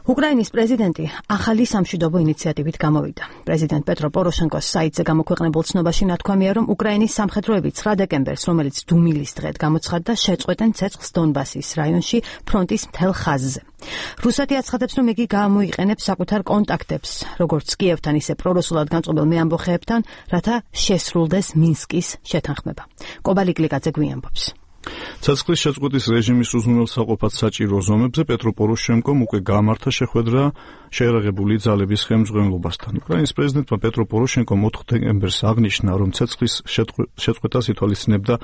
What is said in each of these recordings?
უკრაინის პრეზიდენტი ახალი სამშვიდობო ინიციატივით გამოვიდა. პრეზიდენტ პეტრო პოროშენკოს საიტზე გამოქვეყნებულ ცნობაში ნათქვამია, რომ უკრაინის სამხედროები 9 დეკემბერს, რომელიც დუმილის დღედ გამოცხადდა, შეწყვეტენ ცეცხლს დონბასის რაიონში ფრონტის მთელ ხაზზე. რუსეთი აცხადებს, რომ იგი გამოიყენებს საკუთარ კონტაქტებს, როგორც კიევთან, ისე პრორუსულად განწყობილ მეამბოხეებთან, რათა შესრულდეს მინსკის შეთანხმება. კობალი გლიკაძე გვიამბობს. ცეცხლის შეწყვეტის რეჟიმის უზრუნველსაყოფად საჭირო ზომებზე პეტრო პოროშენკომ უკვე გამართა შეხვედრა შეერაღებული ძალების ხელმძღვანელობასთან. უკრაინის პრეზიდენტმა პეტრო პოროშენკომ 4 დეკემბერს აღნიშნა, რომ ცეცხლის შეწყვეტას ითვალისწინებდა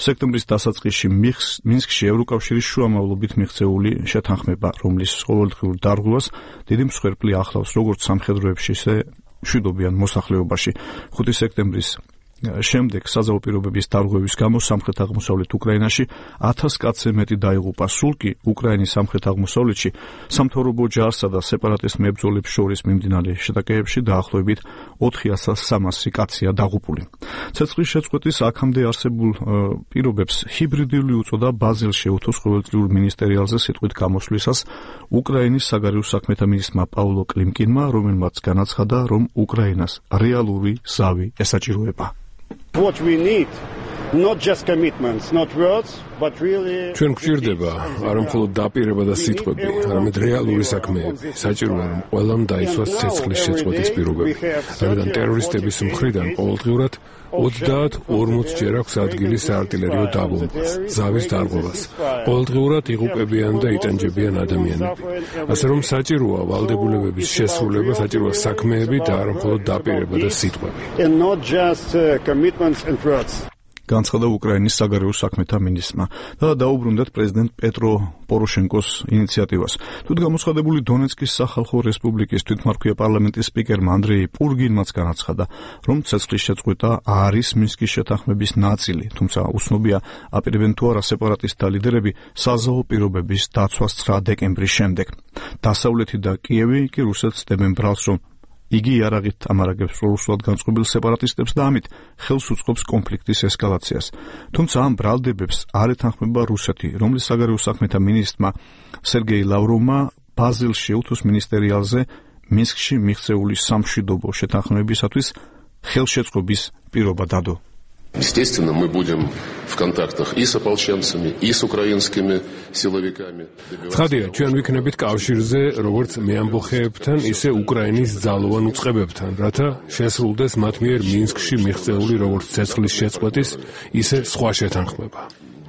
სექტემბრის დასაწყისში მინსკში ევროკავშირის შუამავლობით მიღწეული შეთანხმება, რომლის ყოველდღიურ დარღვევას დიდი მსხვერპლი ახლავს როგორც სამხედროებში, ისე მშვიდობიან მოსახლეობაში. 5 სექტემბრის შემდეგ საზავო პირობების დარღვევის გამო სამხრეთ-აღმოსავლეთ უკრაინაში 1000 კაცზე მეტი დაიღუპა. სულ კი უკრაინის სამხრეთ-აღმოსავლეთში სამთავრობო ჯარსა და სეპარატისტ მებრძოლებს შორის მიმდინარე შეტაკებებში დაახლოებით 4300 კაცია დაღუპული. ცეცხლის შეწყვეტის აქამდე არსებულ პირობებს ჰიბრიდული უწოდა ბაზილში უთოს ყოველწლიურ მინისტერიალზე სიტყვით გამოსვლისას უკრაინის საგარეო საქმეთა მინისტრმა პაულო კლიმკინმა, რომელმაც განაცხადა, რომ უკრაინას რეალური ზავი ესაჭიროება. What we need, not just commitments, not words, but really ჩვენ გვჭირდება არა მხოლოდ დაპირება და სიტყვები, არამედ რეალური საქმეები. საჭიროა, რომ ყველამ დაიცვას ცეცხლის შეწყვეტის პირობები. რადგან ტერორისტების მხრიდან ყოველდღიურად 30-40 ჯერ აქვს ადგილი საარტილერიო დაბომბვას, ზავის დარღვევას. ყოველდღიურად იღუპებიან და იტანჯებიან ადამიანები. ასე რომ საჭიროა ვალდებულებების შესრულება, საჭიროა საქმეები და არა მხოლოდ დაპირება და სიტყვები. განცხადა უკრაინის საგარეო საქმეთა მინისტრმა და დაუბრუნდათ პრეზიდენტ პეტრო პოროშენკოს ინიციატივას. თვით გამოცხადებული დონეცკის სახალხო რესპუბლიკის თვითმარქვია პარლამენტის სპიკერმა ანდრეი პურგინმაც განაცხადა, რომ ცეცხლის შეწყვეტა არის მინსკის შეთანხმების ნაწილი, თუმცა უცნობია აპირებენ თუ არა სეპარატისტთა ლიდერები საზავო პირობების დაცვას 9 დეკემბრის შემდეგ. დასავლეთი და კიევი კი რუსეთს დებენ ბრალს, რომ იგი იარაღით ამარაგებს პრორუსულად განწყობილ სეპარატისტებს და ამით ხელს უწყობს კონფლიქტის ესკალაციას. თუმცა ამ ბრალდებებს არ ეთანხმება რუსეთი, რომლის საგარეო საქმეთა მინისტრმა სერგეი ლავროვმა ბაზილში უთოს მინისტერიალზე მინსკში მიღწეული სამშვიდობო შეთანხმებისათვის ხელშეწყობის პირობა დადო. Естественно, мы будем в контактах и с ополченцами, и с украинскими силовиками. ცხადია, ჩვენ ვიქნებით კავშირზე როგორც მეამბოხეებთან, ისე უკრაინის ძალოვან უწყებებთან, რათა შესრულდეს მათ მიერ მინსკში მიღწეული როგორც ცეცხლის შეწყვეტის, ისე სხვა შეთანხმება.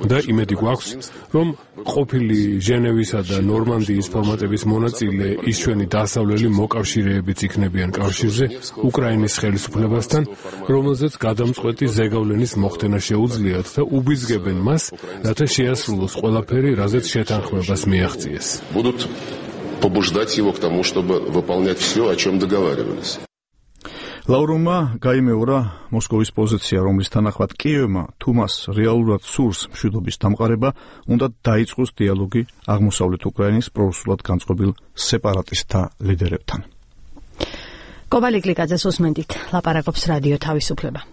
და იმედი გვაქვს, რომ ყოფილი ჟენევისა და ნორმანდიის ფორმატების მონაწილე ის ჩვენი დასავლელი მოკავშირეებიც იქნებიან კავშირზე უკრაინის ხელისუფლებასთან, რომელზეც გადამწყვეტი ზეგავლენის მოხდენა შეუძლიათ და უბიძგებენ მას, რათა შეასრულოს ყველაფერი, რაზეც შეთანხმებას მიაღწიეს. Будут побуждать его к тому, чтобы выполнять все, о чем договаривались. ლავროვმა გაიმეორა მოსკოვის პოზიცია, რომლის თანახმად კიევმა თუ მას რეალურად სურს მშვიდობის დამყარება, უნდა დაიწყოს დიალოგი აღმოსავლეთ უკრაინის პრორუსულად განწყობილ სეპარატისტთა ლიდერებთან. კობალი გლიკაძეს უსმენთ, ლაპარაკობს რადიო თავისუფლება.